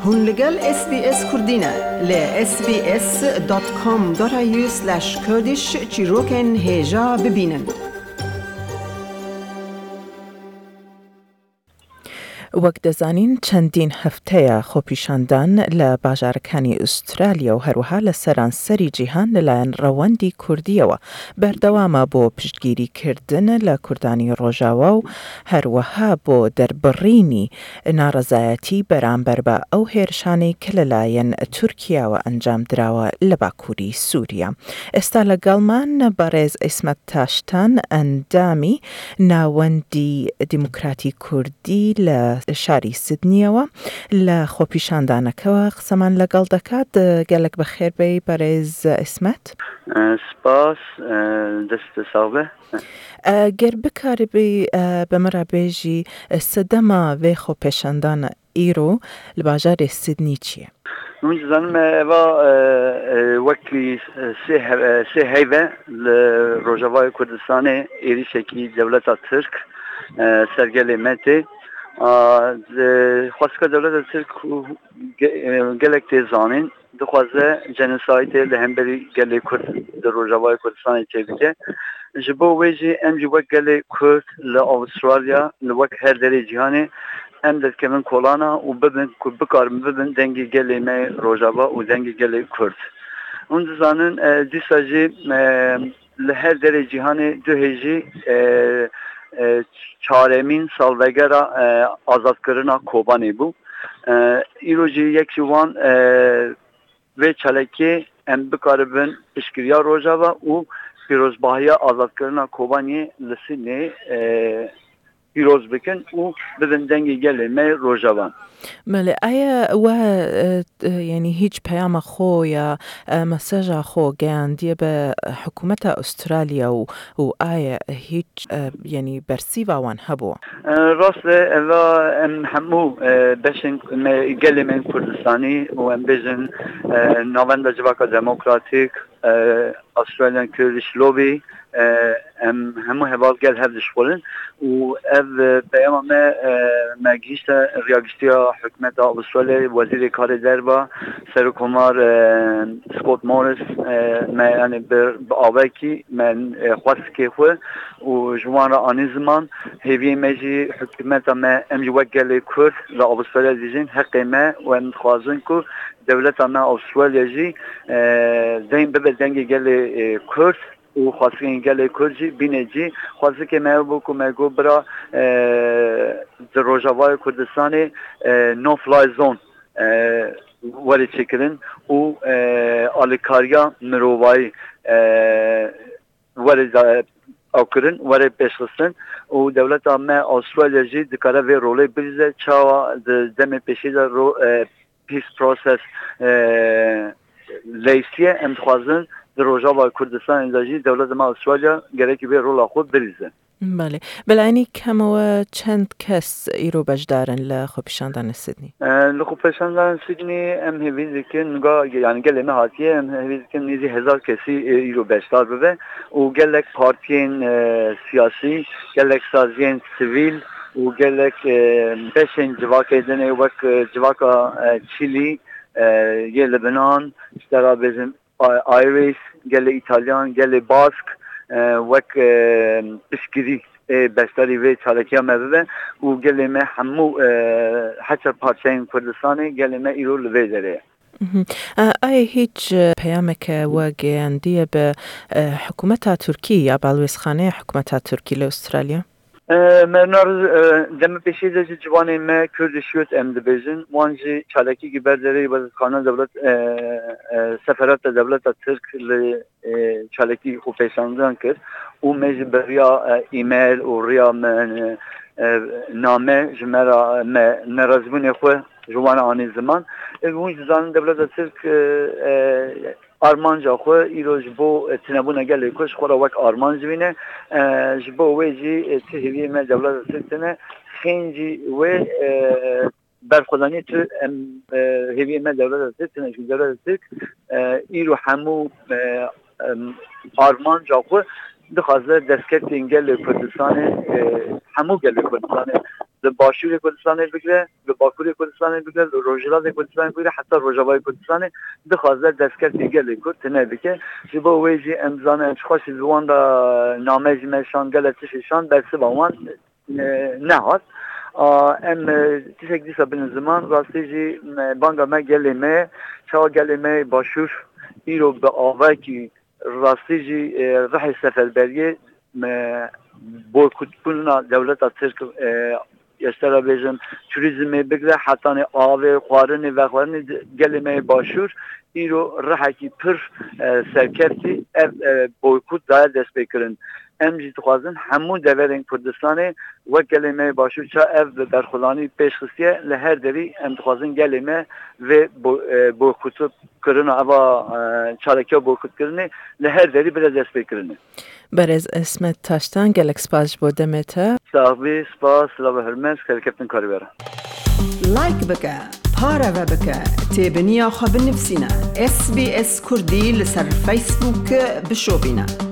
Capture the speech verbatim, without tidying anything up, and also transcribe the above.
Hûn li gel S B S Kurdî ne. Li S B S dot com dot A U slash Kurdish çîrokên hêja bibînin. Wek dezanîn، چەندین هەفتەیە خۆپیشاندان لە باژارەکانی ئوسترالیا و هەروەها لە سەرانسەری جیهان لەلایەن ڕەوەندی کوردیەوە بەردەوامە بۆ پشتگیریکردن لە کوردانی ڕۆژاوا و هەروەها بۆ دەربڕینی ناڕەزایەتی بەرامبەر بە ئەو هێرشانەی کە لەلایەن تورکیاوە ئەنجام دراوە لە باکووری سووریا. ئێستا لەگەڵمان بەڕێز عیسمەت تاشتان، ئەندامی ناوەندی دیموکراتی کوردی لە شاری سیدنیەوە لە خۆپیشاندانەکەوە قسەمان لەگەڵ دەکات. گەلێک بەخێر بێی بەڕێز عیسمەت. Spas, dest sax be. ئە، گەر بکاربی، ئە، بە من رابێژی، ئە، سەدەما vê xwe pêşandana îro li bajarê Sydney çi ye? Hûn dizanin me eva, e, e, wekî, e, sê he-, e, sê heyve li Rojavayê Kurdistanê êrîşekî dewleta Tirk, e, ser gelê me tê. A, di xwestka dewleta Tirk û ge-, e, gelek tê zanîn. Dixwaze genosidê li hemberî gelê Kurd di Rojavayê Kurdistanê çêbike. Ji bo wê jî em jî wek gelê Kurd li Avustralya, li wek her derê cîhanê em derdikevin kolana û bibin ku bikarin bibin dengê gelê me Rojava û dengê gelê Kurd. Hûn dizanin, e, dîsa jî, e, li her derê cîhanê du hêjî, e, e, çaremîn salvegera, e, azadkirina Kobanê bû. E, îro jî yek ji wan, e, vê çalakiyê em bikaribin piştgiriya Rojava û pîrozbahiya azadkirina Kobaniyê li Sydney, e, pîroz bikin û bidin dengê gelê me Rojava. Belê, ئایا وە، ئە، ئە، یعنی هیچ پەیامە خۆ یا، ئە، مەسەژە خۆ گەیاندیە بە حکوومەتە ئوسترالیا و، و ئایا هیچ، ئە، یعنی بەرسیڤاوان هەبووە؟ Rast e, eva em hemû, e, beşên me, gelê me yên Kurdistanî û em bêjin, e, Navenda Civaka Demokratîk, e, Australian Kurdish Lobby, e, em hemû heval gel hev dişxulin û ev, e, peyama me, e, me gihîşte riya giştî ya hikûmeta Australyayê, Wezîrê Karê Derve, Serokkomar, e, Scott Morris, e, me, yani, bi, bi avekî me, e, xwestikê xwe û ji wan re anî ziman. Hêviyê me jî hikûmeta me, em jî wek gelê Kurd li Avustralya dijîn, heqê me û em dixwazin ku dewleta me Avustralya jî, e, deng bibe dengê gelê, e, Kurd û xwestikên gelê Kurd jî bîne cî. Xwestikê me ew bû ku me got bira, e, di Rojavayê Kurdistanê, e, no fly zone, e, were çêkirin û, e, alîkariya mirovayî, e, were da-, ew kirin, were pêşxistin û dewleta me Avustralya jî dikare vê rolê bilîze. Çawa di demê pêşî de ro-, e, peace process, e, leysiye, em dixwazin di Rojava Kurdistanê de jî dewleta me Avustralya gerekî vê rola xwe bilîze. Belê. Belê, enî kemەوە چەند کەس ئیرۆ بەشدارن لە خۆپیشاندانە سیدنی؟ E, li xwepêşandana Sydney em hêvî dikin, ga-, yani gelê me hatiye, em hêvî dikin nêzî hezar kesî, e, îro beşdar bibe û gelek partiyên, e, siyasî, gelek saziyên sivîl û gelek, e, beşên civakê din ê wek, e, civaka, e, Çilî, e, yê Libnan, ji te re bêjin, Irish, gelê Îtalyan, gelê Bask, e, wek, e, piştgirî, e, beşdarî vê çalakiya me bibe û gelê me hemû, e, heçer parçeyên Kurdistanê gelê me îro li vê derê ye. Mhm. E, ئایا هیچ، ئە، پەیامێکە وە گەیاندیە بە، ئە، حکوومەتا تورکی یا باڵوێزخانەی حکوومەتا تورکی لە ئوسترالیا؟ E, me nar, e, demê pêşî de ji ciwanê me Kurdish Youth em dibêjin, wan jî çalakî ki ber derê wezîrxana dewlet, e, e, seferata dewleta Tirk li, e, çalakî xwe pêşandan kir û me ji bi riya, e, email û riya me, e, e, name ji me re, me nerazîbûnê xwe ji wan anî ziman. E, hûn jî dizanin dewleta Tirk, e, e, armanca xwe îro ji bo, e, tinebûna gelê Kurd ji xwe re wek armanc dibîne. E, ji bo wê jî, e, ti hêviyê me dewleta Tirk tine, xêncî wê, e, berxwedanî tu em, e, hêviyê me dewleta Tirk tine, ji dewleta Tirk, e, îro hemû, e, em, armanca xwe dixwaze destkeftên gelê Kurdistanê, e, hemû gelê Kurdistanê Li Başûrê Kurdistanê bigre, li Bakurê Kurdistanê bigre, li Rojhilatê Kurdistanê bigre, heta Rojavayê Kurdistanê dixwaze destkeftê gelê Kurd tune bike. Ji bo wê jî em zanin, em çiqas jî bi wan re name jî me şand, gelek tiştê şand, bersiva wan e, nehat. A, em, e, tiştek dîsa binin ziman, rastî jî, e, banga me gelê me, çawa gelê me Başûr îro bi avekî rastî jî, e, rihê seferberiyê, e, boykotbûna dewleta Tirk, e, ez te re bêjim, turîzmê bigre, hetanê avê, xwarinê, vexwarinê di-, gelê me yê Başûr îro rihekî pir, e, serkeftî ev, e, boykot daye destpêkirin. Em jî dixwazin hemû deverên Kurdistanê wek gelê me yê Başûr ça ev bi berxwedanî pêş xistiye, li her derî em dixwazin gelê me vê bo-, e, boykot kirina, eva, e, çalakiya boykotkirinê li her derî bire destpêkirinê. Berêz Esmet Taştan, gelek spas ji bo demê te. Sax bî, spas, silav û hurmet, serkeftin karî we re. Like bike, pareve bike, têbiniya xwe binivîsîne. S B S Kurdî li ser Facebook bişopîne.